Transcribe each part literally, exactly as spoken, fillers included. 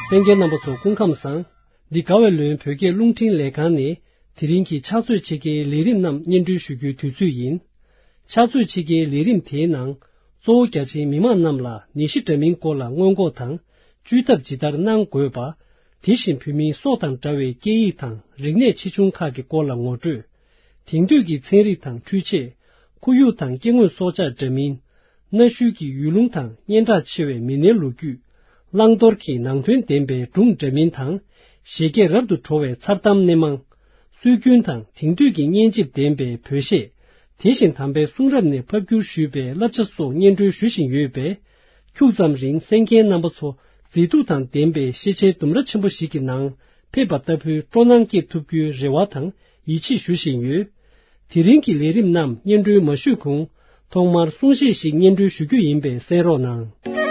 གསན་མཁན་རྣམ་པ་ཚོ་སྐུ་ཁམས་བཟང་། འདི་དགའ་བའི་ལོན་བོད་སྐད་རླུང་འཕྲིན་ལས་ཁང་ནས་དེ་རིང་གི་ཕྱག་ཚོད་ཕྱེད་ཀའི་ལས་རིམ་རྣམས་སྙན་སྒྲོན་ཞུ་རྒྱུའི་དུས་ཚོད་ཡིན། ཕྱག་ཚོད་ཕྱེད་ཀའི་ལས་རིམ་དེའི་ནང་། གཙོ་བོ་རྒྱ་ཆེའི་མི་མང་རྣམས་ལ་ནད་གཞི་འདྲ་མིན་སྐོར་ལ་སྔོན་འགོག་དང་། བཅོས་ཐབས་ཇི་ལྟར་གནང་དགོས་པ། དེ་བཞིན་བོད་མིའི་སྲོག་དང་འདྲ་བའི་སྐད་ཡིག་དང་རིག་གནས་ཆེ་ཆུང་ཁག་གི་སྐོར་ལ་ངོ་སྤྲོད། དེང་དུས་ཀྱི་ཚན་རིག་དང་འཕྲུལ་ཆས། ཁོར་ཡུག་དང་སྐྱེ་དངོས་སྲོག་ཆགས་འདྲ་མིན། གནའ་ཤུལ་གྱི་ཡུལ་ལུང་དང་སྙན་གྲགས་ཆེ་བའི་མི་སྣའི་ལོ་རྒྱུས། བླང་དོར་གྱི་ནང་དོན་ལྡན་པའི་སྒྲུང་འདྲ་མིན་དང་། བཞད་གད་རབ་ཏུ་བྲོ་བའི་མཚར་གཏམ་སྣེ་མང་། སྲོལ་རྒྱུན་དང་དེང་དུས་ཀྱི་སྙན་འཇེབས་ལྡན་པའི་བོད་གཞས། དེ་བཞིན་དམ་པའི་གསུང་རབ་ནས་ཕབ་བསྒྱུར་ཞུས་པའི་བསླབ་བྱ་སོགས་སྙན་སྒྲོན་ཞུ་བཞིན་ཡོད་པས། ཁྱུག་ཙམ་རིང་གསན་མཁན་རྣམ་པ་ཚོ་མཛེས་སྡུག་དང་ལྡན་པའི་ཤེས་བྱའི་ལྡུམ་ར་ཆེན་པོ་ཞིག་གི་ནང་ཕེབས་པ་ལྟ་བུའི་སྤྲོ་སྣང་སྐྱེ་ཐུབ་རྒྱུའི་རེ་བ་དང་ཡིད་ཆེས་ཞུ་བཞིན་ཡོད། དེ་རིང་གི་ལས་རིམ་རྣམས་སྙན་སྒྲོན་མ་ཞུས་གོང་། ཐོག་མར་གསུང་བཤད་ཞིག་སྙན་སྒྲོན་ཞུ་རྒྱུ་ཡིན་པས་གསན་རོགས་གནང་།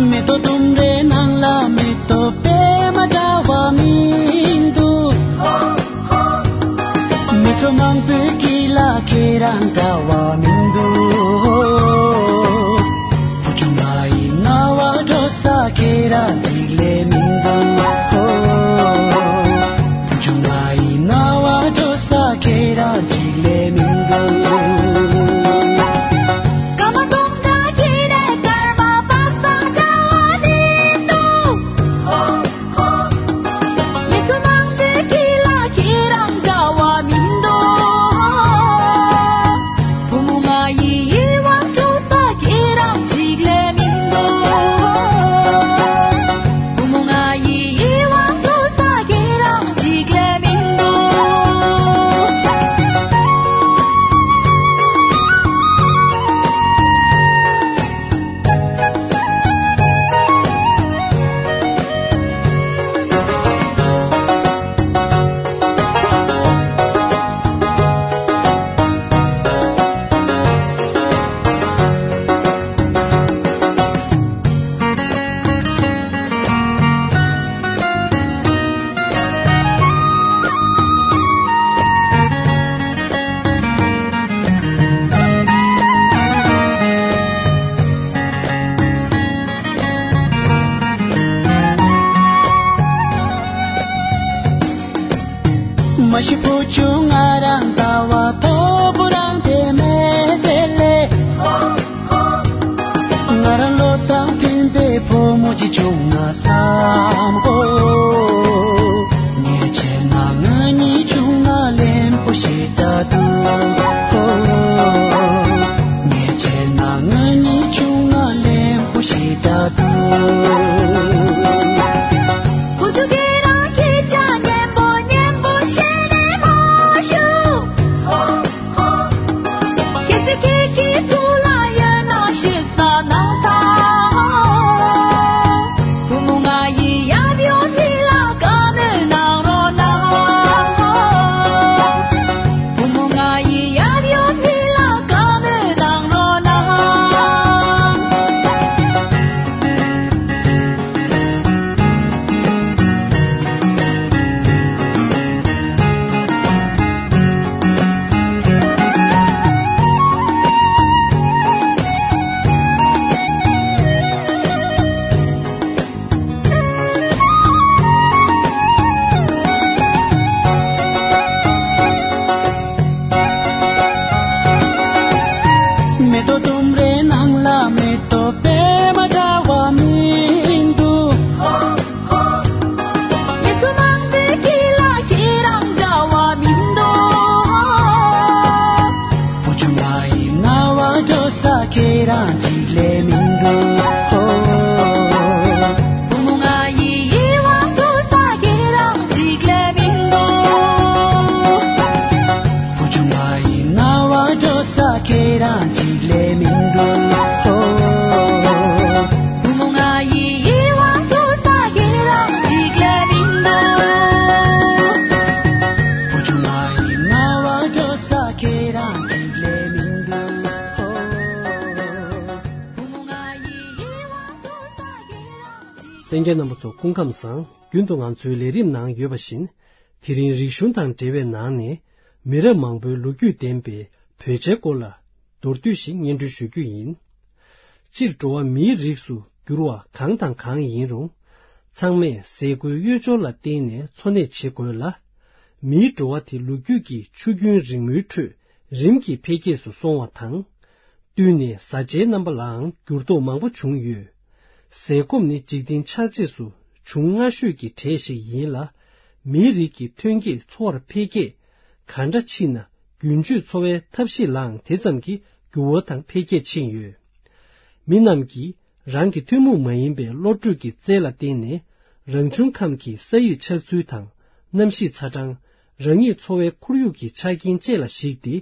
མེ་ཏོག་ལྡུམ་རའི་ནང་ལ་མེ་ཏོག་པད་མ་འདྲ་བ་མི་འདུག་མི་ཚོགས་མང་པོའི་དཀྱིལ་ལ་ཁྱེད་རང་འདྲ་བ་མི་འདུག་བུ་ཆུང་ང་ཡི་རྣ་བ་འགྲོ་ས་ཁྱེད་རང་གཅིག་ལས་མི་འདུག་བུ་ཆུང་ང་ཡི་རྣ་བ་འགྲོ་ས་ཁྱེད་རང་གཅིག་ལས་མི་འདུག་སྐར་མ་སྟོང་ཕྲག་གི་རེ་སྐར་མ་པ་སངས་འདྲ་བ་མི་འདུག་མི་ཚོགས་མང་པོའི་དཀྱིལ་ལ་ཁྱེད་རང་འདྲ་བ་མི་འདུག་བུ་མོ་ང་ཡི་ཡིད་དབང་འཕྲོག་ས་ཁྱེད་རང་གཅིག་ལས་མི་འདུག་བུ་མོ་ང་ཡི་ཡིད་དབང་འཕྲོག་ས་ཁྱེད་རང་གཅིག་ལས་མི་འདུག་མ་གཞི་བུ་ཆུང་ང་རང་ལྟ་བ་མཐོ་པོ་རང་དེ་མེད་དེ་ལས། ང་རང་བློ་དང་མཐུན་པའི་བུ་མོ་ཅིག་བྱུང་ན་བསམ་གོ། ངས་བྱས་ན་ང་གཉིས་བྱུང་ན་ལེན་པོ་ཞེ་དྲག་འདུག་ངས་བྱས་ན་ང་གཉིས་བྱུང་ན་ལེན་པོ་ཞེ་དྲག་འདུག་བུ་ཆུང་ཁྱེད་རང་སྐད་ཆ་སྙན་པོ་སྙན་པོ་བཤད་ནས་མ་ཞུ། རྒན་རྣམ་པ་ཚོ་སྐུ་ཁམས་བཟང་། རྒྱུན་དུ་ང་ཚོའི་ལས་རིམ་ནང་ཡོད་པ་བཞིན། དེ་རིང་རིག་གཞུང་དང་འབྲེལ་བའི་ནང་ནས་མི་རབས་མང་པོའི་ལོ་རྒྱུས་ལྡན་པའི་བོད་ཇའི་སྐོར་ལ་མདོར་བསྡུས་ཤིག་སྙན་སྒྲོན་ཞུ་རྒྱུ་ཡིན། སྤྱིར་འགྲོ་བ་མིའི་རིགས་སུ་གྱུར་པ་གང་དང་གང་ཡིན་རུང་། ཚང་མས་ཟས་གོས་གཡོས་སྦྱོར་ལ་བརྟེན་ནས་འཚོ་གནས་བྱེད་དགོས་ལ། མིའི་འགྲོ་བ་དེ་ལོ་རྒྱུས་ཀྱི་ཆུ་རྒྱུན་རིང་མོའི་ཁྲོད་རིམ་གྱིས་འཕེལ་རྒྱས་སུ་སོང་བ་དང་། བསྟུན་ནས་བཟའ་བཅའི་རྣམ་པ་ལའང་འགྱུར་ལྡོག་མང་པོ་བྱུང་ཡོད། ཟས་སྐོམ་ནི་འཇིག་རྟེན་ཆགས་རྗེས་སུ་བྱུང་སྔ་ཤོས་ཀྱི་གྲས་ཤིག་ཡིན་ལ། མིའི་རིགས་ཀྱི་ཐོན་སྐྱེད་འཚོ་བར་འཕེལ་རྒྱས་ག་འདྲ་ཕྱིན་ན། རྒྱུན་སྤྱོད་འཚོ་བའི་ཐབས་ཤེས་ལའང་དེ་ཙམ་གྱིས་འགྱུར་བ་དང་འཕེལ་རྒྱས་ཕྱིན་ཡོད། མི་རྣམས་ཀྱིས་རང་གི་ཐུན་མོང་མ་ཡིན་པའི་བློ་གྲོས་ཀྱི་རྩལ་ལ་བརྟེན་ནས། རང་བྱུང་ཁམས་ཀྱི་ས་ཡི་ཆགས་ཚུལ་དང་གནམ་གཤིས་ཚ་གྲང་། རང་ཉིད་འཚོ་བའི་ཁོར་ཡུག་གི་ཆ་རྐྱེན་བཅས་ལ་གཞིགས་ཏེ།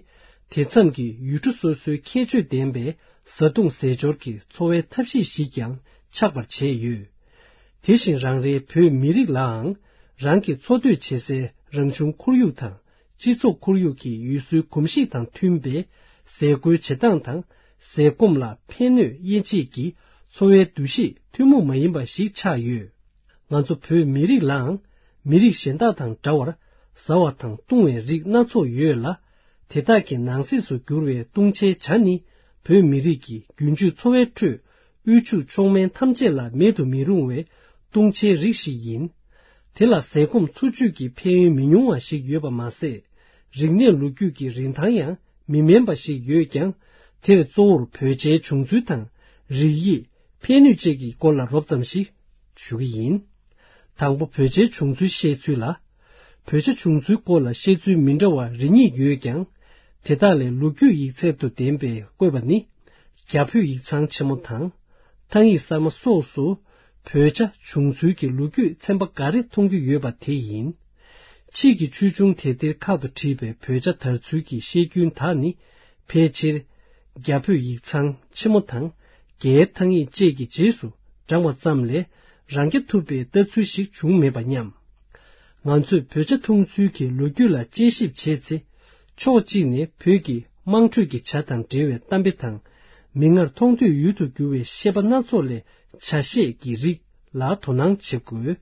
དེ་མཚམས་ཀྱི་ཡུལ་གྲུ་སོ་སོའི་ཁྱད་ཆོས་ལྡན་པའི་བཟའ་བཏུང་ཟས་སྦྱོར་གྱི་འཚོ་བའི་ཐབས་ཤེས་ཤིག་ཀྱང་ཆགས་པར་བྱས་ཡོད། དེ་བཞིན་རང་རེའི་བོད་མི་རིགས་ལའང་རང་གི་འཚོ་སྡོད་བྱེད་སའི་རང་བྱུང་ཁོར་ཡུག་དང་། སྤྱི་ཚོགས་ཁོར་ཡུག་གི་ཡུལ་སྲོལ་གོམས་གཤིས་དང་མཐུན་པའི་ཟས་གོས་བྱེད་སྟངས་དང་། ཟས་སྐོམ་ལ་ཕན་གནོད་དབྱེ་འབྱེད་ཀྱི་འཚོ་བའི་འདུ་ཤེས་ཐུན་མོང་མ་ཡིན་པ་ཞིག་ཆགས་ཡོད། ང་ཚོ་བོད་མི་རིགས་ལའང་མི་རིགས་གཞན་དག་དང་འདྲ་བར་བཟའ་བ་དང་བཏུང་བའི་རིགས་སྣ་ཚོགས་ཡོད་ལ། དེ་དག་གི་ནང་གསེས་སུ་གྱུར་བའི་བཏུང་བྱའི་ཇ་ནི་བོད་མི་རིགས་ཀྱི་རྒྱུན་སྤྱོད་འཚོ་བའི་ཁྲོད། དབུལ་ཕྱུག་མཆོག་དམན་ཐམས་ཅད་ལ་མེད་དུ་མི་རུང་བའི་བཏུང་བྱའི་རིགས་ཤིག་ཡིན། དེ་ལ་ཟས་སྐོམ་འཚོ་བཅུད་ཀྱི་ཕན་ཡོན་མི་ཉུང་བ་ཞིག་ཡོད་པ་མ་ཟད། རིག་གནས་ལོ་རྒྱུས་ཀྱི་རིན་ཐང་ཡང་མི་དམན་པ་ཞིག་ཡོད་ཀྱང་། དེར་གཙོ་བོར་བོད་ཇའི་བྱུང་ཚུལ་དང་། རིགས་དབྱེ། ཕན་ནུས་བཅས་ཀྱི་སྐོར་ལ་རོབ་ཙམ་ཞིག་ཞུ་གི་ཡིན། དང་པོ། བོད་ཇའི་བྱུང་ཚུལ་བཤད་ཚུལ་ལ། བོད་ཇ་བྱུང་ཚུལ་སྐོར་ལ་བཤད་ཚུལ་མི་འདྲ་བ་རེ་གཉིས་ཡོད་ཀྱང་། དེ་དག་ལས་ལོ་རྒྱུས་ཡིག་ཚད་དུ་ལྡན་པའི་བཀོད་པ་ནི། རྒྱ་བོད་ཡིག་ཚང་ཆེན་མོ་དང་། ཐང་ཡིག་གསར་མ་སོགས་སུ། བོད་ཇ་བྱུང་ཚུལ་གྱི་ལོ་རྒྱུས་ཚན་པ་འགའ་རེ་མཐོང་རྒྱུ་ཡོད་པ་དེ་ཡིན། ཕྱིས་ཀྱི་ཆོས་འབྱུང་དེབ་ཐེར་ཁག་ཏུ་བྲིས་པའི་བོད་ཇ་དར་ཚུལ་གྱི་བཤད་རྒྱུན་དག་ནི། ཕལ་ཆེར། རྒྱ་བོད་ཡིག་ཚང་ཆེན་མོ་དང་། རྒྱའི་ཐང་ཡིག་བཅས་ཀྱི་རྗེས་སུ་འབྲངས་པ་ཙམ་ལས། རང་རྐྱ་ཐུབ་པའི་ལྟ་ཚུལ་ཞིག་བྱུང་མེད་པ་སྙམ། ང་ཚོས་བོད་ཇ་འཐུང་ཚུལ་གྱི་ལོ་རྒྱུས་ལ་དཔྱད་ཞིབ་བྱས་ཚེ། ཕྱོགས་གཅིག་ནས་བོད་ཀྱི་དམངས་ཁྲོད་ཀྱི་ཇ་དང་འབྲེལ་བའི་གཏམ་དཔེ་དང་། མིག་སྔར་མཐོང་ཐོས་ཡུལ་དུ་གྱུར་བའི་བཤད་པ་སྣ་ཚོགས་ལས་ཇ་བཤད་ཀྱི་རིགས་ལ་དོ་སྣང་བྱེད་དགོས།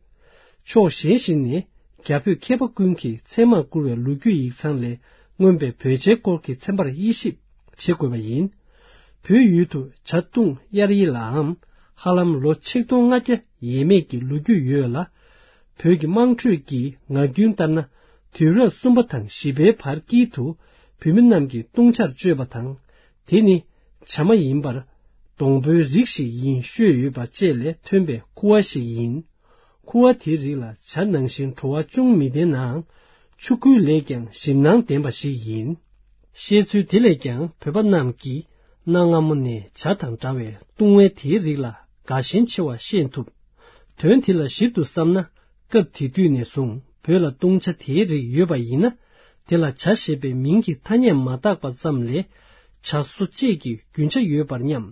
ཕྱོགས་གཞན་ཞིག་ནས། རྒྱ་བོད་མཁས་པ་ཀུན་གྱིས་ཚད་མར་བཀུར་བའི་ལོ་རྒྱུས་ཡིག་ཚང་ལས། མངོན་པའི་བོད་ཇའི་སྐོར་གྱི་ཚན་པར་དབྱེ་ཞིབ་བྱེད་དགོས་པ་ཡིན། བོད་ཡུལ་དུ་ཇ་བཏུང་དབྱར་ཡི་ལའམ། ཧ་ལམ་ལོ་ཆིག་སྟོང་ལྔ་བརྒྱ་ཡས་མས་ཀྱི་ལོ་རྒྱུས་ཡོད་ལ། བོད་ཀྱི་དམངས་ཁྲོད་ཀྱི་ངག་རྒྱུན་ལྟར་ན། དུས་རབས་གསུམ་པ་དང་བཞི་པའི་བར་དཀྱིལ་དུ། བོད་མི་རྣམས་ཀྱིས་བཏུང་ཇར་སྤྱོད་པ་དང་། དེ་ནི་ཇ་མ་ཡིན་པར། སྡོང་པོའི་རིགས་ཤིག་ཡིན་ཤོད་ཡོད་པ་བཅས་ལས་ཐོན་པའི་ཁུ་བ་ཞིག་ཡིན། ཁུ་བ་དེའི་རིགས་ལ་ཇ་ནང་བཞིན་བྲོ་བ་ཅུང་མི་ལྡན་ནའང་། ཆུ་ཁོལ་ལས་ཀྱང་ཞིམ་སྣང་ལྡན་པ་ཞིག་ཡིན། བཤད་ཚུལ་དེ་ལས་ཀྱང་བོད་པ་རྣམས་ཀྱིས་གནའ་སྔ་མོ་ནས་ཇ་དང་འདྲ་བའི་བཏུང་བའི་དེའི་རིགས་ལ་དགའ་ཞེན་ཆེ་བ་ཤེས་ཐུབ། དོན་དེ་ལ་ཞིབ་ཏུ་བསམ་ན། སྐབས་དེ་དུས་ནས་བཟུང་བོད་ལ་བཏུང་ཇ་དེའི་རིགས་ཡོད་པ་ཡིན་ན། དེ་ལ་ཇ་ཞེས་པའི་མིང་གི་ཐ་སྙད་མ་བཏགས་པ་ཙམ་ལས། ཇ་བཟོ་བཅས་ཀྱི་རྒྱུན་ཆ་ཡོད་པར་སྙམ།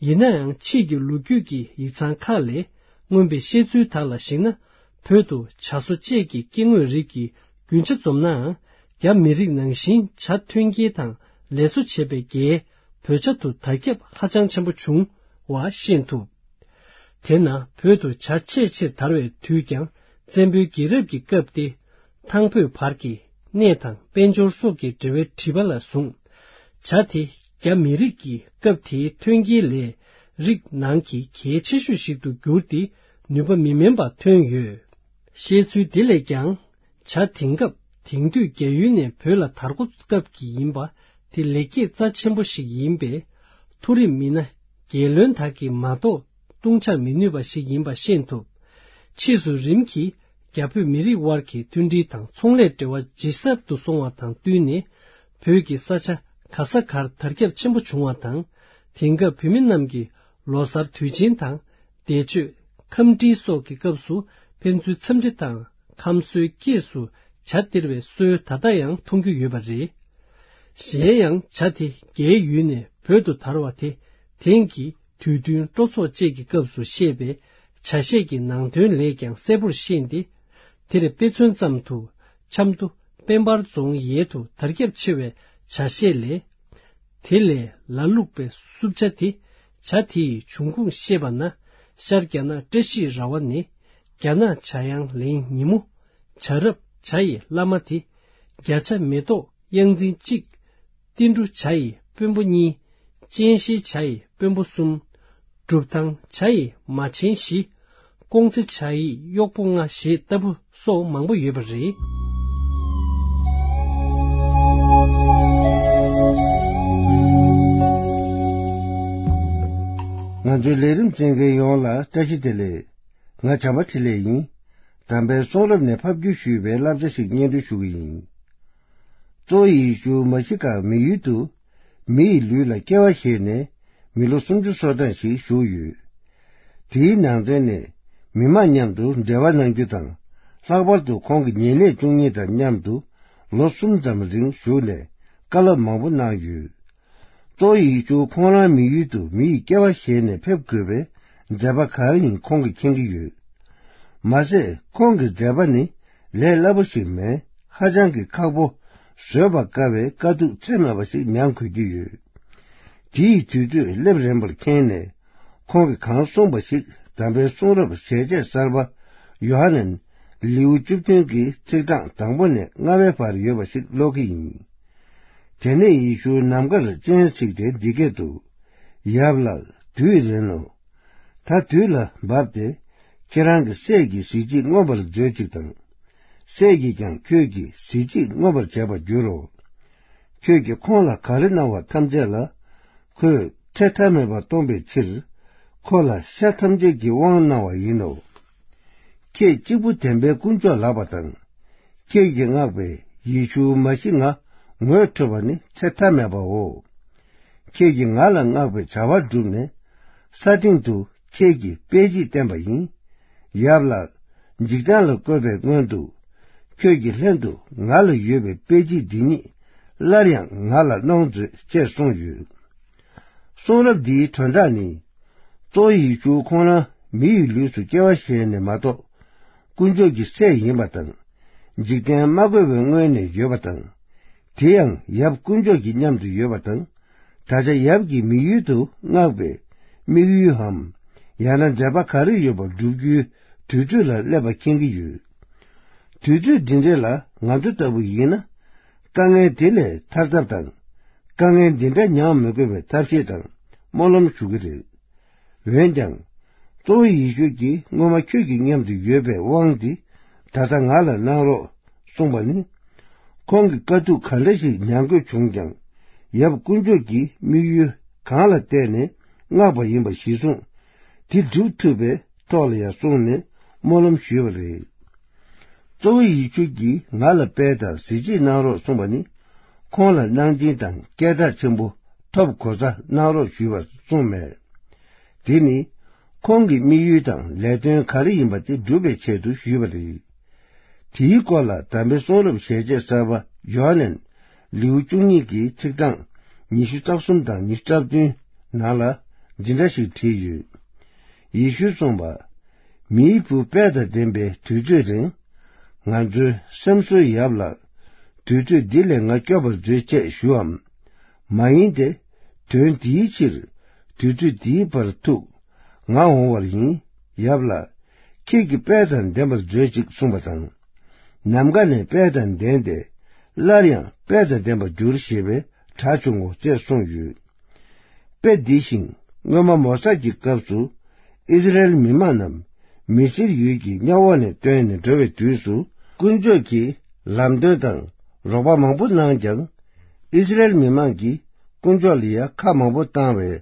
ཡིན་ན་ཡང་ཕྱིས་ཀྱི་ལོ་རྒྱུས་ཀྱི་ཡིག་ཚང་ཁག་ལས། མངོན་པའི་བཤད་ཚུལ་དག་ལ་གཞིགས་ན། བོད་དུ་ཇ་བཟོ་བཅས་ཀྱི་སྐྱེ་དངོས་རིགས་ཀྱི་རྒྱུན་ཆ་འཛོམས་ནའང་། རྒྱ་མི་རིགས་ནང་བཞིན་ཇ་ཐོན་སྐྱེད་དང་ལས་བཟོ་བྱེད་པའི་རྒྱའི་བོད་ཇ་དུ་དར་ཁྱབ་ཧ་ཅང་ཆེན་པོ་བྱུང་བ་ཤེས་ཐུབ། དེས་ན་བོད་དུ་ཇ་ཆེས་ཆེར་དར་བའི་དུས་ཀྱང་བཙན་པོའི་རྒྱལ་རབས་ཀྱི་སྐབས་ཏེ། ཐང་བོད་བར་གྱི་གནས་དང་དཔལ་འབྱོར་སོགས་ཀྱི་འབྲེལ་བའི་དྲི་བ་ལ་བཟུང་། ཇ་དེ་རྒྱ་མི་རིགས་ཀྱི་སྐབས་དེའི་ཐོན་སྐྱེད་ལས་རིགས་ནང་གི་གལ་ཆེ་ཤོས་ཤིག་ཏུ་གྱུར་ཏེ། ནུས་པ་མི་དམན་པ་ཐོན་ཡོད། བཤད་ཚུལ་འདི་ལས་ཀྱང་། ཇ་དེང་སྐབས་དེང་དུས་རྒྱ་ཡུལ་ནས་བོད་ལ་དར་འགོ་སྐབས་ཀྱི་ཡིན་པ་དེ་ལེགས་སྐྱེས་རྩ་ཆེན་པོ་ཞིག་ཡིན་པས། མཐོ་རིམ་མི་སྣ་རྒྱལ་བློན་དག་གིས་མ་གཏོགས་བཏུང་ཇར་མི་ནུས་པ་ཞིག་ཡིན་པ་ཤེས་ཐུབ། ཕྱིས་སུ་རིམ་གྱིས་རྒྱ་བོད་མི་རིགས་དབར་གྱི་མཐུན་སྒྲིལ་དང་ཚོང་ལས་འབྲེལ་བ་ཇེ་ཟབ་ཏུ་སོང་བ་དང་བསྟུན་ནས། བོད་ཀྱི་ས་ཆ་ག་ས་གར་དར་ཁྱབ་ཆེན་པོ་བྱུང་བ་དང་། དེང་སྐབས་བོད་མི་རྣམས་ཀྱིས་ལོ་གསར་དུས་ཆེན་དང་། འདས་མཆོད། ཁམས་འདྲི་སོགས་ཀྱི་སྐབས་སུ་ཕན་ཚུན་འཚམས་འདྲི་དང་ཁམས་གསོའི་སྐྱེས་སུ་ཇ་སྟེར་བའི་སྲོལ་ད་ལྟ་ཡང་མཐོང་རྒྱུ་ཡོད་པ་རེད། གཞན་ཡང་ཇ་དེ་རྒྱའི་ཡུལ་ནས་བོད་དུ་དར་བ་དེ་དེང་གི་དུས་བསྟུན་སྤྲོ་ཚོགས་བཅས་ཀྱི་སྐབས་སུ་བཤད་པའི་ཇ་བཤད་ཀྱི་ནང་དོན་ལས་ཀྱང་གསལ་པོར་ཤེས་ཏེ། དེར་དཔེ་མཚོན་ཙམ་དུ་ཆབ་མདོ་དཔལ་འབར་རྫོང་ཡལ་དུ་དར་ཁྱབ་ཆེ་བའི་ཇ་བཤད་ལས། དེ་ལས་ལ་བླུགས་པའི་སྲུབས་ཇ་དེ་ཇ་དེ་ཡི་འབྱུང་ཁུངས་བཤད་པ་ན། ཤར་རྒྱ་ནག་བཀྲ་ཤིས་ར་བ་ནས། རྒྱ་ནག་ཇ་ཡང་ལེན་ཉིན་མོ། བྱ་རབས་ཇ་ཡི་བླ་མ་དེ། བརྒྱ་ཆ་མེ་ཏོག་གཡང་འཛིན་གཅིག་ཏིལ་འབྲུ་ཇ་ཡི་དཔོན་པོ་གཉིས། སྤྱན་ཤེལ་ཇ་ཡི་དཔོན་པོ་གསུམ། སྒྲུབ་ཐང་ཇ་ཡི་མ་ཆེན་བཞི། ཀོང་ཙེ་ཇ་ཡི་གཡོག་པོ་ལྔ་ཞེས་ལྟ་བུ་སོགས་མང་པོ་ཡོད་པ་རེད། ང་ཚོའི་ལས་རིམ་གསན་མཁན་ཡོངས་ལ་བཀྲ་ཤིས་བདེ་ལེགས། ང་བྱམས་པ་འཕྲིན་ལས་ཡིན། དམ་པའི་གསུང་རབ་ནས་ཕབ་བསྒྱུར་ཞུས་པའི་བསླབ་བྱ་ཞིག་སྙན་སྒྲོན་ཞུ་གི་ཡིན། གཙོ་བོ་ཡེ་ཤུ་མ་ཤི་ཀ་མི་ཡུལ་དུ་མི་ཡི་ལུས་ལ་སྐྱེ་བ་བཞེས་ནས་མི་ལོ་སུམ་ཅུ་སོ་གྲངས་ཤིག་བཞུགས་ཡོད། དེའི་ནང་ཚན་ནས་མི་མང་མཉམ་དུ་འབྲེལ་བ་གནང་རྒྱུ་དང་། ལྷག་པར་དུ་ཁོང་གི་ཉེ་གནས་བཅུ་གཉིས་དང་མཉམ་དུ་ལོ་གསུམ་ཙམ་རིང་བཞུགས་ནས་བཀའ་སློབ་མང་པོ་གནང་ཡོད། གཙོ་བོ་ཡེ་ཤུ་ཁོང་རང་མི་ཡུལ་དུ་མི་ཡི་སྐྱེ་བ་བཞེས་ནས་ཕེབས་དགོས་པའི་མཛད་པ་ག་རེ་ཡིན་ཁོང་གིས་མཁྱེན་གྱི་ཡོད། མ་ཟད་ཁོང་གི་མཛད་པ་ནི་ལས་སླ་པོ་ཞིག་མེད། ཧ་ཅང་གི་ཁག་པོ། བཟོད་པར་དཀའ་བའི་དཀའ་སྡུག་ཚད་མེད་པ་ཞིག་མྱངས་དགོས་ཀྱི་ཡོད། དེའི་དུས་ཚོད་སླེབས་རན་པར་མཁྱེན་ནས། ཁོང་གིས་གང་གསུངས་པ་ཞིག་དམ་པའི་གསུང་རབ་ཞལ་ཆད་གསར་པ་ཡོ་ཧ་ནན་ལེའུ་བཅུ་བདུན་གྱི་ཚིག་གྲངས་དང་པོ་ནས་ལྔ་པའི་བར་ཡོད་པ་ཞིག་ཀློག་གི་ཡིན། དེ་ནས་ཡེ་ཤུ་ནམ་མཁར་སྤྱན་གཟིགས་ཏེ་འདི་སྐད་དུ། ཡབ་ལགས། དུས་རན་ནོ། ད་དུས་ལ་བབ་སྟེ། ཁྱེད་རང་གི་སྲས་ཀྱི་གཟི་བརྗིད་མངོན་པར་མཛོད་ཅིག་དང་། སྲས་ཀྱིས་ཀྱང་ཁྱོད་ཀྱི་གཟི་བརྗིད་མངོན་པར་བྱེད་པར་འགྱུར་རོ། ཁྱོད་ཀྱིས་ཁོང་ལ་ག་རེ་གནང་བ་ཐམས་ཅད་ལ། ཁོས་ཚེ་མཐའ་མེད་པར་སྟོང་པའི་ཕྱིར། ཁོ་ལ་ཤ་ཐམས་ཅད་ཀྱི་དབང་གནང་བ་ཡིན་ནོ། ཁྱེད་གཅིག་པུ་བདེན་པའི་དཀོན་མཆོག་ལགས་པ་དང་། ཁྱེད་ཀྱིས་མངགས་པའི་ཡེ་ཤུ་མ་ཤི་ང་ངོ་འཕྲོད་པ་ནི་ཚེ་མཐའ་མེད་པའོ། ཁྱེད་ཀྱིས་ང་ལ་མངགས་པའི་བྱ་བ་བསྒྲུབས་ནས། ས་སྟེང་དུ་ཁྱེད་ཀྱི་དཔེ་བརྗིད་བསྟན་པ་ཡིན། ཡབ་ལགས། འཇིག་རྟེན་ལ་བཀོད་པའི་སྔོན་དུ། ཁྱོད་ཀྱི་ལྷན་དུ་ང་ལ་ཡོད་པའི་དཔེ་བརྗིད་འདི་ཉིད་སླར་ཡང་ང་ལ་གནང་མཛོད་ཅེས་གསུངས་ཡོད། གསུང་རབ་འདིའི་དོན་དག་ནི། གཙོ་བོ་ཡེ་ཤུ་ཁོང་རང་མི་ཡི་ལུས་སུ་སྐྱེ་བ་བཞེས་ནས་མ་གཏོགས། དཀོན་མཆོག་གི་སྲས་ཡིན་པ་དང་། འཇིག་རྟེན་མ་བཀོད་པའི་སྔོན་ནས་ཡོད་པ་དང་། དེ་ཡང་ཡབ་དཀོན་མཆོག་གི་མཉམ་དུ་ཡོད་པ་དང་། ད་ཆ་ཡབ་ཀྱིས་མི་ཡུལ་དུ་མངགས་པའི་དམིགས་ཡུལ་འམ། ཡང་ན་མཛད་པ་ག་རེ་ཡོད་པ་བསྒྲུབ་རྒྱུའི་དུས་ཚོད་ལ་སླེབས་པ་མཁྱེན་གྱི་ཡོད། དུས་ཚོད་འདི་འདྲ་ལ་ང་ཚོ་ལྟ་བུ་ཡིན་ན། དཀའ་ངལ་དེ་ལས་ཐར་ཐབས་དང་། དཀའ་ངལ་འདི་འདྲ་མྱངས་མི་དགོས་པའི་ཐབས་ཤེས་དང་སྨོན་ལམ་ཞུ་གི་རེད། འོན་ཀྱང་། གཙོ་བོ་ཡེ་ཤུ་གིས་སྔོན་མ་ཁྱོད་ཀྱི་མཉམ་དུ་ཡོད་པའི་དབང་འདི་ད་ལྟ་ང་ལ་གནང་རོགས་གསུངས་པ་ནི། ཁོང་གིས་དཀའ་སྡུག་ག་འདྲ་ཞིག་མྱང་དགོས་བྱུང་ཀྱང་། ཡབ་དཀོན་མཆོག་གིས་དམིགས་ཡུལ་གང་ལ་བལྟས་ནས་མངགས་པ་ཡིན་པ་གཞིར་བཟུང་། དེ་སྒྲུབ་ཐུབ་པའི་ཐོག་ལ་ཡང་གསུངས་ནས་སྨོན་ལམ་ཞུས་པ་རེད། གཙོ་བོ་ཡེ་ཤུ་གིས་ང་ལ་དཔལ་དང་གཟི་བརྗིད་གནང་རོགས་གསུངས་པ་ནི། ཁོང་ལ་གནང་སྦྱིན་དང་སྐད་གྲགས་ཆེན་པོ་ཐོབ་གོ་ས་གནང་རོགས་ཞུས་པར་གསུངས་མེད། དེ་ནི། ཁོང་གི་དམིགས་ཡུལ་དང་ལས་དོན་ག་རེ་ཡིན་པ་དེ་སྒྲུབ་པའི་ཆེད་དུ་ཞུས་པ་རེད། དེའི་སྐོར་ལ་དམ་པའི་གསུང་རབ་ཞལ་ཆད་གསར་པ་ཡོ་ཧ་ནན་ལེའུ་བཅུ་གཉིས་ཀྱི་ཚིག་གྲངས་ཉི་ཤུ་རྩ་གསུམ་དང་ཉི་ཤུ་རྩ་བདུན་ནང་ལ་འདི་འདྲ་ཞིག་བྲིས་ཡོད། ཡེ་ཤུས་གསུངས་པ། མིའི་བུ་དཔལ་དང་ལྡན་པའི་དུས་ཚོད་རིང་། ང་ཚོའི་སེམས་གསོའི་ཡབ་ལགས། དུས་ཚོད་འདི་ལས་ང་སྐྱོབ་པར་མཛོད་ཅེས་ཞུའམ། མ་ཡིན་ཏེ། དོན་འདིའི་ཕྱིར། དུས་ཚོད་འདིའི་བར་ཐུག་ང་འོང་བར་ཡིན། ཡབ་ལགས། ཁྱེད་ཀྱིས་དཔལ་དང་ལྡན་པར་མཛོད་ཅིག་གསུངས་པ་དང་། ནམ་མཁའ་ནས་དཔལ་དང་ལྡན་ཏེ། སླར་ཡང་དཔལ་དང་ལྡན་པར་འགྱུར་ཞེས་པའི་སྒྲ་བྱུང་ངོ་ཅེས་གསུངས་ཡོད། དཔེ་འདི་བཞིན་སྔོན་མ་མོ་ས་ཀྱི་སྐབས་སུ་ཨིསི་རཱཨེལ་མི་མང་རྣམས་མི་སེར་ཡུལ་གྱི་གཉའ་འོག་ནས་བཏོན་ནས་འགྲོ་བའི་དུས་སུ་དཀོན་མཆོག་གིས་ལམ་སྟོན་དང་རོགས་པ་མང་པོ་གནང་ཀྱང་། ཨིསི་རཱཨེལ་མི་མང་གིས་དཀོན་མཆོག་ལ་ཡང་ཁ་མང་པོ་བཏང་བས།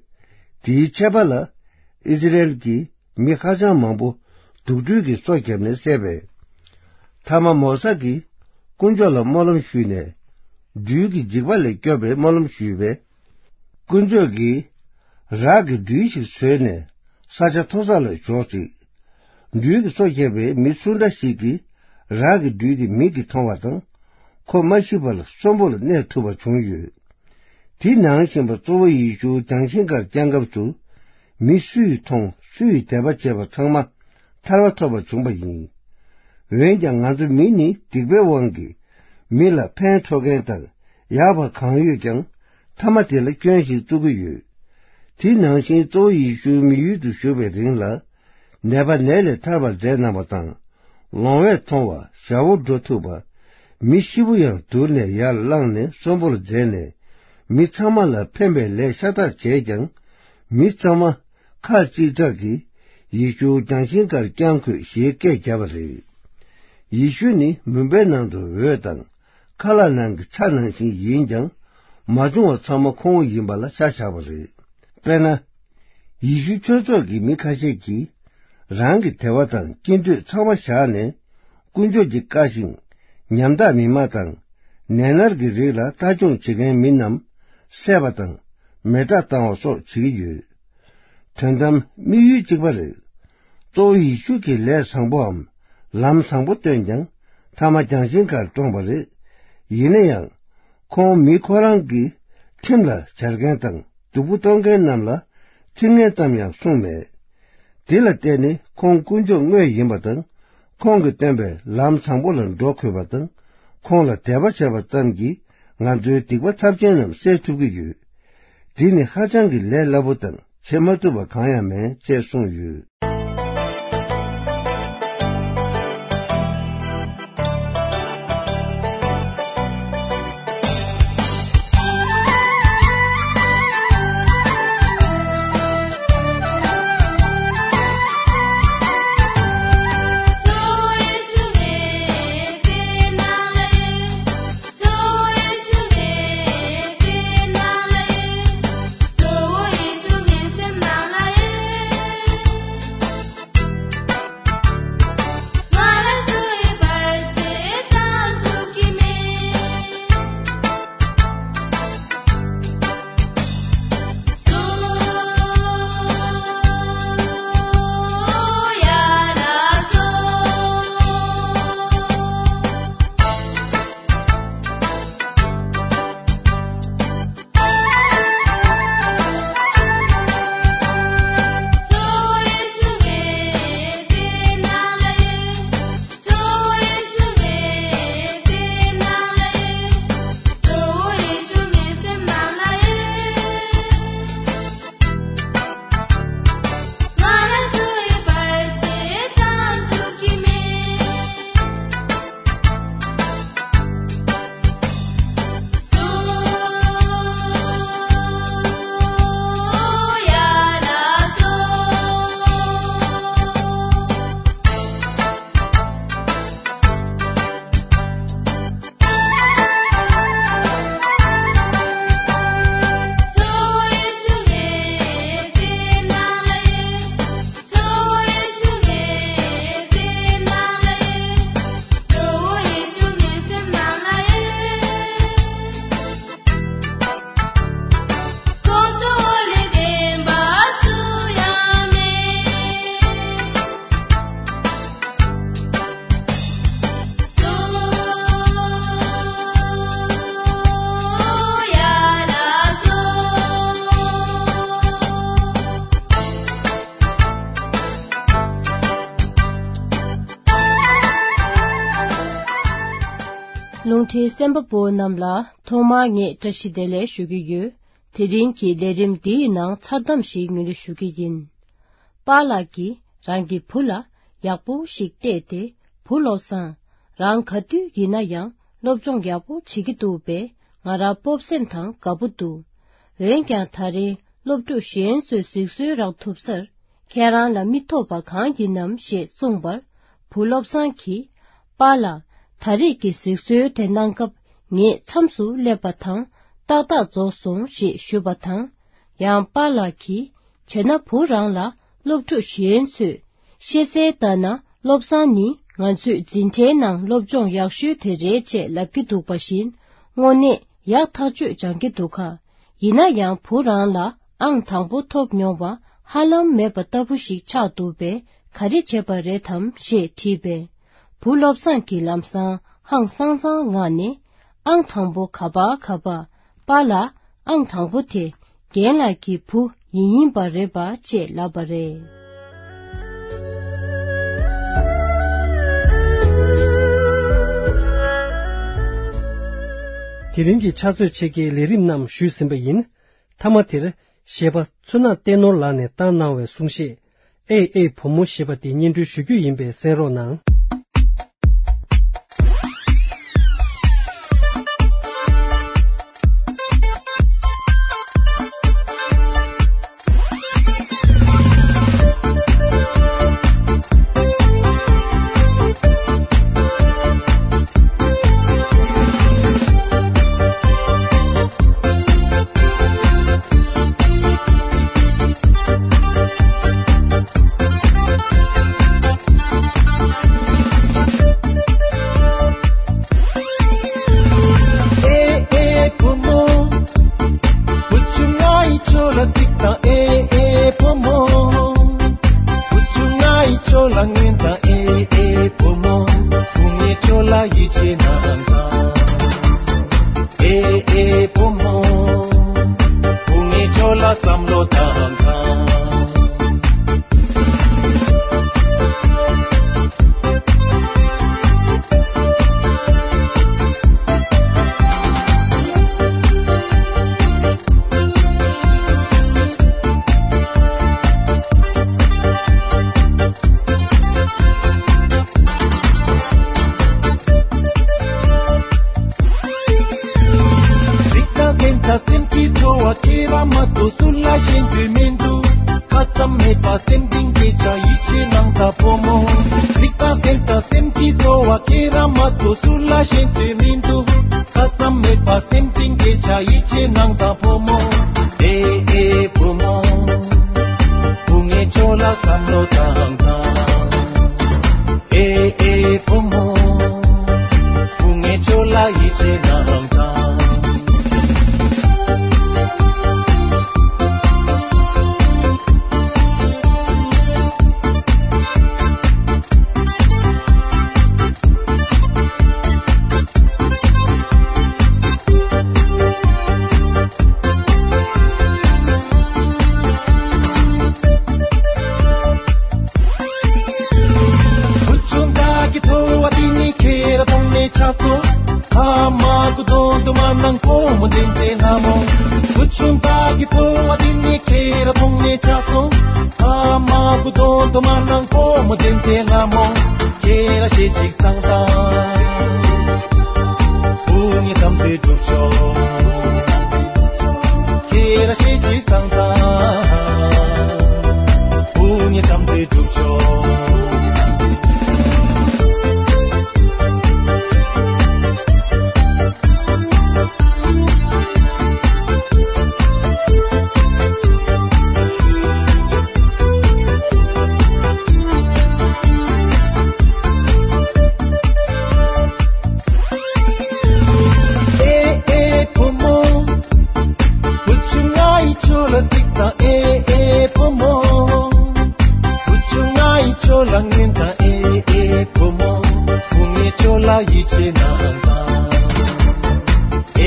དེའི་ཆད་པ་ལ་ཨིསི་རཱཨེལ་གྱི་མི་ཧ་ཅང་མང་པོ་དུག་སྦྲུལ་གྱིས་སོ་བརྒྱབ་ནས་བསད་པས། མཐའ་མ་མོ་ས་གིས་དཀོན་མཆོག་ལ་སྨོན་ལམ་ཞུས་ནས། སྦྲུལ་གྱི་འཇིགས་པ་ལས་སྐྱོབ་པའི་སྨོན་ལམ་ཞུས་པས། དཀོན་མཆོག་གིས་རག་གི་སྦྲུལ་ཞིག་བཟོས་ནས་ས་ཆ་མཐོ་ས་ལ་འཇོག་ཅིག་སྦྲུལ་གྱིས་སོ་བརྒྱབ་པའི་མི་སུ་འདྲ་ཞིག་གིས་རག་གི་སྦྲུལ་དེ་མིག་གིས་མཐོང་བ་དང་། ཁོ་མ་ཤི་བར་གསོན་པོར་གནས་ཐུབ་པ་བྱུང་ཡོད། དེ་ནང་བཞིན་པ་གཙོ་བོ་ཡེ་ཤུ་རྒྱང་ཤིང་ཁར་བཅར་སྐབས་སུ། མི་སུས་མཐོང་སུས་དད་པ་བྱས་པ་ཚང་མ་ཐར་པ་ཐོབ་པ་བྱུང་བ་ཡིན། འོན་ཀྱང་ང་ཚོ་མི་ནི་སྡིག་པའི་དབང་གིས་མི་ལ་ཕན་ཐོགས་མཁན་དང་ཡག་པ་གང་ཡོད་ཀྱང་མཐའ་མ་དེ་ལ་སྐྱོན་ཞིག་བཙུགས་ཀྱི་ཡོད། དེ་ནང་བཞིན་གཙོ་བོ་ཡེ་ཤུ་མི་ཡུལ་དུ་བཞུགས་པའི་རིང་ལ། ནད་པ་ནད་ལས་ཐར་བར་མཛད་གནང་བ་དང་། ལོང་བས་མཐོང་བ་ཞ་བོ་འགྲོ་ཐུབ་པ། མི་ཤི་བོ་ཡང་དུར་ནས་ཡར་བླངས་ནས་གསོན་པོར་མཛད་ནས། མི་ཚང་མ་ལ་ཕན་པའི་ལས་ཤ་སྟག་བྱས་ཀྱང་། མི་ཚང་མ་ཁ་གཅིག་གྲགས་ཀྱིས་ཡེ་ཤུ་རྒྱང་ཤིང་ཁར་བརྐྱང་འཁོད་ཞེས་སྐད་བརྒྱབ་པ་རེད། ཡེ་ཤུ་ནི་མུན་པའི་ནང་དུ་འོད་དང་། ཁ་ལག་ནང་གི་ཚྭ་ནང་བཞིན་ཡིན་ཀྱང་། མ་བྱུང་བ་ཚང་མ་ཁོ་བོ་ཡིན་པ་ལ་ཤ་བཞག་པ་རེད། དཔེར་ན། ཡེ་ཤུ་ཆོས་ཚོགས་ཀྱི་མི་ཁ་ཤས་ཀྱིས། རང་གི་དད་པ་དང་སྐྱིད་འདོད་ཚང་མ་བཞག་ནས། དཀོན་མཆོག་གི་བཀའ་བཞིན། ཉམ་ཐག་མི་མ་དང་། ནད་མནར་གྱི་རིགས་ལ་ལྟ་སྐྱོང་བྱེད་མཁན་མི་རྣམས། བསད་པ་དང་། མེ་སྲེག་བཏང་བ་སོགས་བྱེད་ཀྱི་ཡོད། དོན་དམ་དམིགས་ཡུལ་གཅིག་པ་རེད། གཙོ་བོ་ཡེ་ཤུ་གིས་ལས་བཟང་པོའམ། ལམ་བཟང་པོ་སྟོན་ཀྱང་། མཐའ་མ་རྒྱང་ཤིང་ཁར་བཀྲོངས་པ་རེད། ཡིན་ན་ཡང་། ཁོང་མི་ཁོ་རང་གི་ཁྲིམས་ལ་སྦྱར་མཁན་དང་། སྡུག་པོ་གཏོང་མཁན་རྣམས་ལ་ཚིག་ངན་ཙམ་ཡང་གསུངས་མེད། དེ་ལ་བརྟེན་ནས་ཁོང་དཀོན་མཆོག་དངོས་ཡིན་པ་དང་། ཁོང་གིས་སྟོན་པའི་ལམ་བཟང་པོ་ལ་འགྲོ་དགོས་པ་དང་། ཁོང་ལ་དད་པ་བྱས་པ་ཙམ་གྱིས་ང་ཚོའི་སྡིག་པ་ཚབས་ཆེན་རྣམས་སེལ་ཐུབ་ཀྱི་ཡོད། འདི་ནི་ཧ་ཅང་གི་ལས་སླ་པོ་དང་བྱེད་མ་ཐུབ་པ་གང་ཡང་མེད་ཅེས་གསུངས་ཡོད། རླུང་འཕྲིན་གསན་པ་པོ་རྣམས་ལ་ཐོག་མར་ངས་བཀྲ་ཤིས་བདེ་ལེགས་ཞུ་གི་ཡོད། དེ་རིང་གི་ལས་རིམ་འདིའི་ནང་མཚར་གཏམ་ཞིག་ངོས་འཛིན་ཞུ་གི་ཡིན། པཱ་ལགས་ཀྱིས་རང་གི་བུ་ལ་ཡག་པོ་ཞིག་བལྟས་ཏེ། བུ་བློ་བཟང་། རང་ག་དུས་ཡིན་ན་ཡང་སློབ་སྦྱོང་ཡག་པོ་བྱེད་ཀྱི་འདུག་པས། ང་རང་སྤོབས་སེམས་དང་དགའ་པོ་འདུག་འོན་ཀྱང་། ད་རེས་སློབ་ཕྲུག་གཞན་ཚོས་གཟིགས་གསོལ་རག་ཐུབ་སར། ཁྱེད་རང་ལ་མི་ཐོབ་པ་གང་ཡིན་ནམ་ཞེས་གསུངས་པར། བུ་བློ་བཟང་གིས། པཱ་ལགས། ད་རེས་ཀྱི་གཟིགས་གསོལ་དེ་གནང་སྐབས་ངེད་མཚམས་སུ་སླེབས་པ་དང་། ཏག་ཏག་རྫོགས་སོང་ཞེས་ཞུས་པ་དང་། ཡང་པཱ་ལགས་ཀྱིས། བྱས་ན་བུ་རང་ལ་སློབ་ཕྲུག་གཞན་ཚོས། ཤེས་གསལ་ལྟར་ན། བློ་བཟང་ནི་ང་ཚོའི་འཛིན་གྲྭའི་ནང་སློབ་སྦྱོང་ཡག་ཤོས་དེ་རེད་ཅེས་ལབ་ཀྱི་འདུག་པ་བཞིན། དངོས་གནས་ཡག་ཐག་ཆོད་སྦྱང་གི་འདུག་ག་ཡིན་ན་ཡང་བུ་རང་ལ་ཨང་དང་པོ་ཐོབ་མྱོང་བ་ཧ་ལམ་མེད་པ་ལྟ་བུ་ཞིག་ཆགས་འདུག་པས། ག་རེ་བྱས་པ་རེད་དམ་ཞེས་དྲིས་པས། བུ་བློ་བཟང་གིས་ལམ་སང་ཧང་སང་སང་ངང་ནས། ཨང་དང་པོ་ག་པར་ག་པར། པཱ་ལགས། ཨང་དང་པོ་དེ་རྒན་ལགས་ཀྱི་བུ་ཡིན་ཡིན་པ་རེད་པ་ཅེས་ལབ་པ་རེད། དེ་རིང་གི་ཕྱག་ཚོད་ཕྱེད་ཀའི་ལས་རིམ་རྣམས་ཞུས་ཟིན་པ་ཡིན། མཐའ་མ་དེར་གཞས་པ་མཚོ་ནག་བསྟན་ནོར་ལགས་ནས་བཏང་གནང་བའི་གསུང་བཤད། ཨེ་ཨེ་བུ་མོ་ཞེས་པ་དེ་སྙན་སྒྲོན་ཞུ་རྒྱུ་ཡིན་པས་གསན་རོགས་གནང་། ཨེ་ཨེ་བུ་མོ། བུ་ཆུང་ང་ཡི་ཆོ་ལ་གཟིགས་དང་ཨེ་ཨེ་བུ་མོ། བུ་ཆུང་ང་ཡི་ཆོ་ལ་ངན་དང་ཨེ་ཨེ་བུ་མོ། བུ་ངའི་ཆོ་ལ་ཡིད་ཆེས་གནང་དང་། ཨེ་ཨེ་བུ་མོ། བུ་ངའི་ཆོ་ལ་བསམ་བློ་བཏང་དང་། གཟིགས་དང་གཟན་དང་སེམས་ཀྱི་ཚོར་བ་ཁྱེད་རང་མ་གཏོགས་སུ་ལ་ཤེས་འདོད་མི་འདུག་ཁ་ཙམ་མེད་པ་སེམས་གཏིང་སྐྱེ་ཆ་ཡིད་ཆེས་གནང་དང་བུ་མོ། གཟིགས་དང་གཟན་དང་སེམས་ཀྱི་ཚོར་བ་ཁྱེད་རང་མ་གཏོགས་སུ་ལ་ཤེས་འདོད་མི་འདུག་ཁ་ཙམ་མེད་པ་སེམས་གཏིང་སྐྱེ་ཆ་ཡིད་ཆེས་གནང་དང་བུ་མོ། ཨེ་ཨེ་བུ་མོ། བུ་ངའི་ཆོ་ལ་བསམ་བློ་བཏང་དང་། ཨེ་ཨེ་བུ་མོ། བུ་ངའི་ཆོ་ལ་ཡིད་ཆེས་གནང་དང་། བུ་ཆུང་བདག་གི་ཚོར་བ་འདི་ནི་ཁྱེད་རང་མཐོང་ནས་ཆགས་སོང་། ཨ་མ་གུ་དོན་དུ་མ་ནང་ཁོ་མོ་འདྲེན་ཏེ་ལ་མོ། བུ་ཆུང་བདག་གི་ཚོར་བ་འདི་ནི་ཁྱེད་རང་མཐོང་ནས་ཆགས་སོང་། ཨ་མ་གུ་དོན་དུ་མ་ནང་ཁོ་མོ་འདྲེན་ཏེ་ལ་མོ། ཁྱེད་རང་ཤེས་ཅིག་སང་དང་། བུ་ངའི་བསམ་ཚུལ་སྒྲུབ་ཆོག་ཁྱེད་རང་ཤེས་ཅིག་སང་དང་། བུ་ངའི་བསམ་ཚུལ་སྒྲུབ་ཆོག་ཨེ་ཨེ་བུ་མོ། བུ་ཆུང་ང་ཡི་ཆོ་ལ་གཟིགས་དང་ཨེ་ཨེ་བུ་མོ། བུ་ཆུང་ང་ཡི་ཆོ་ལ་ངན་དང་ཨེ་ཨེ་བུ་མོ། བུ་ངའི་ཆོ་ལ་ཡིད་ཆེས་གནང་དང་།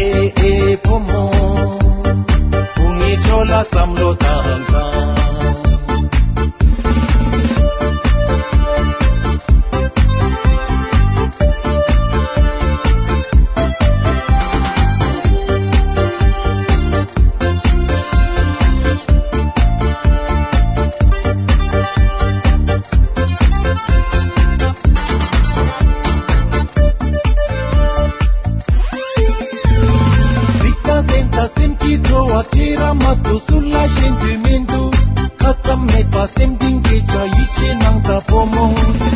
ཨེ་ཨེ་བུ་མོ། བུ་ངའི་ཆོ་ལ་བསམ་བློ་བཏང་དང་། གཟིགས་དང་གཟན་དང་སེམས་ཀྱི་ཚོར་བ་ཁྱེད་རང་མ་གཏོགས་སུ་ལ་ཤེས་འདོད་མི་འདུག་ཁ་ཙམ་མེད་པ་སེམས་གཏིང་སྐྱེ་ཆ་ཡིད་ཆེས་གནང་དང་བུ་མོ།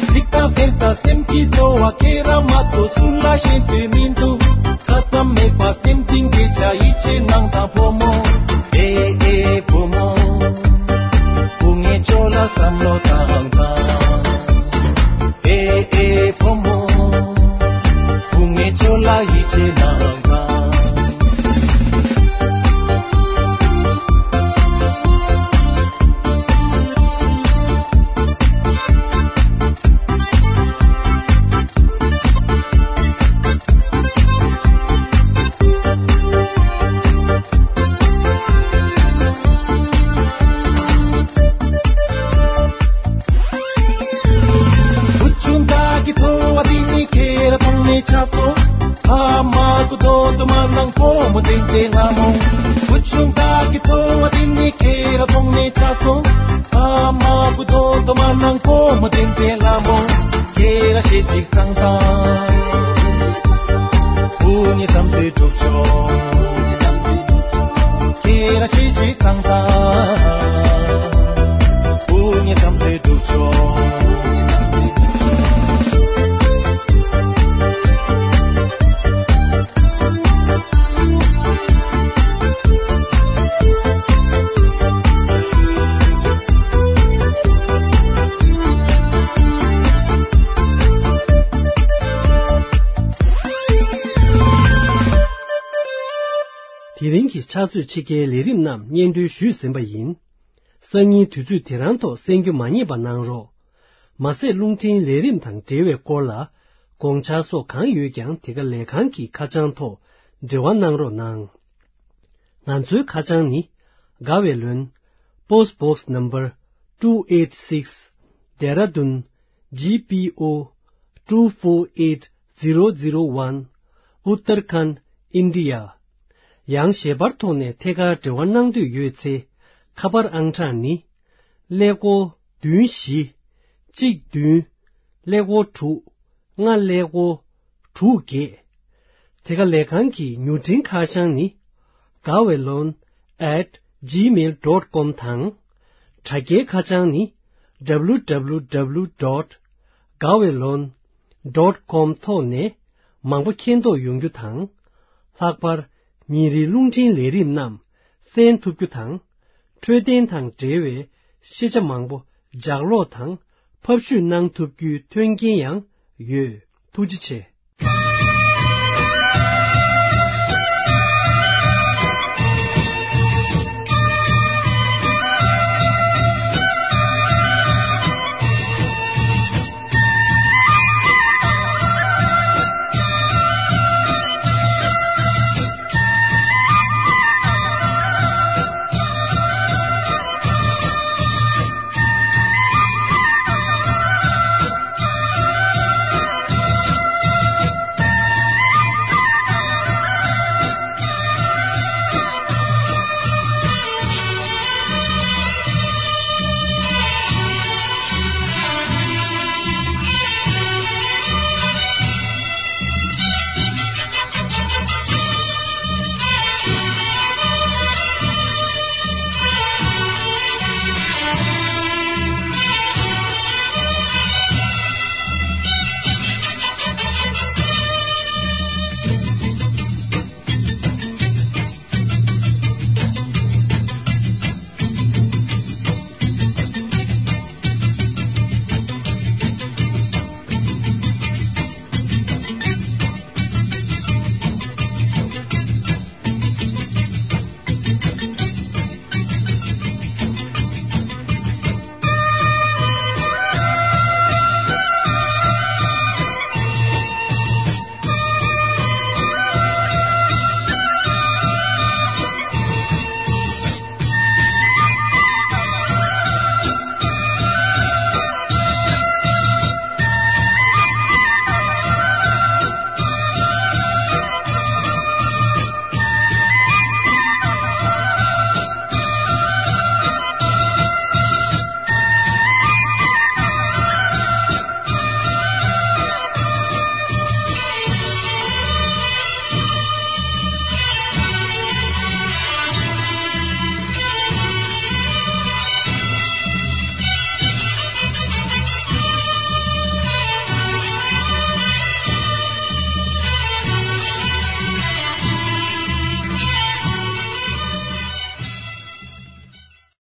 གཟིགས་དང་གཟན་དང་སེམས་ཀྱི་ཚོར་བ་ཁྱེད་རང་མ་གཏོགས་སུ་ལ་ཤེས་འདོད་མི་འདུག་ཁ་ཙམ་མེད་པ་སེམས་གཏིང་སྐྱེ་ཆ་ཡིད་ཆེས་གནང་དང་བུ་མོ། ཨེ་ཨེ་བུ་མོ། བུ་ངའི་ཆོ་ལ་བསམ་བློ་བཏང་དང་། ཨེ་ཨེ་བུ་མོ། བུ་ངའི་ཆོ་ལ་ཡིད་ཆེས་གནང་དང་། བུ་ཆུང་བདག་གི་ཚོར་བ་འདི་ནི་ཁྱེད་རང་མཐོང་ནས་ཆགས་སོང་། ཨ་མ་གུ་དོན་དུ་མ་ནང་ཁོ་མོ་འདྲེན་ཏེ་ལ་མོ། བུ་ཆུང་བདག་གི་ཐོ་བ་དེ་ནི་ཁྱེད་ར་ཐོང་ནས་ཆ་སོང་། ཨ་མ་བུ་དོ་དོ་མ་ནང་ཁོ་མོ་དེན་པའི་ལ་མོ། ཁྱེད་ར་ཤེས་ཅིག་སང་ཐང་། བུ་ནི་ཙམ་དུ་གྲུབ་ཆོག་ཁྱེད་ར་ཤེས་ཅིག་སང་ཐང་། བུ་ནི་ཙམ་དུ་གྲུབ་ཆོག་དེ་རིང་གི་ཕྱག་ཚོད་ཕྱི་རྒྱལ་ལས་རིམ་རྣམས་སྙན་སྒྲོན་ཞུས་ཟིན་པ་ཡིན། སང་ཉིན་དུས་ཚོད་དེ་རང་ཐོག་གསན་རྒྱུ་མ་བསྙེལ་བ་གནང་རོགས། མ་ཟད་རླུང་འཕྲིན་ལས་རིམ་དང་འབྲེལ་བའི་སྐོར་ལ་དགོངས་འཆར་སོགས་གང་ཡོད་ཀྱང་དེ་ག་ལས་ཁང་གི་ཁ་བྱང་ཐོག་འབྲེལ་བ་གནང་རོགས་གནང་། ང་ཚོའི་ཁ་བྱང་ནི། དགའ་བའི་ལོན། Post Box Number two eight six, Dehradun G P O two four eight zero zero one, Uttarakhand, India. ཡང་ཞལ་པར་ཐོག་ནས་ཐད་ཀར་འབྲེལ་བ་གནང་འདོད་ཡོད་ཚེ། ཁ་པར་ཨང་གྲངས་ནི། ཀླད་ཀོར་བདུན་བཞི། གཅིག་བདུན། ཀླད་ཀོར་དྲུག་ལྔ་ཀླད་ཀོར་དྲུག་བརྒྱད། དེ་ག་ལས་ཁང་གི་མྱུར་འཕྲིན་ཁ་བྱང་ནི། Gaweylon at gmail dot com དང་། དྲ་རྒྱའི་ཁ་བྱང་ནི། W W W dot gaweylon dot com ཐོག་ནས་མང་པོ་མཁྱེན་རྟོགས་ཡོང་རྒྱུ་དང་། ལྷག་པར་ཉིན་རེའི་རླུང་འཕྲིན་ལས་རིམ་རྣམས་གསན་ཐུབ་རྒྱུ་དང་། འཕྲོད་བསྟེན་དང་འབྲེལ་བའི་ཤེས་བྱ་མང་པོ་ལྗགས་ཀློག་དང་ཕབ་བཤུས་གནང་ཐུབ་རྒྱུའི་མཐུན་རྐྱེན་ཡང་ཡོད། ཐུགས་རྗེ་ཆེ།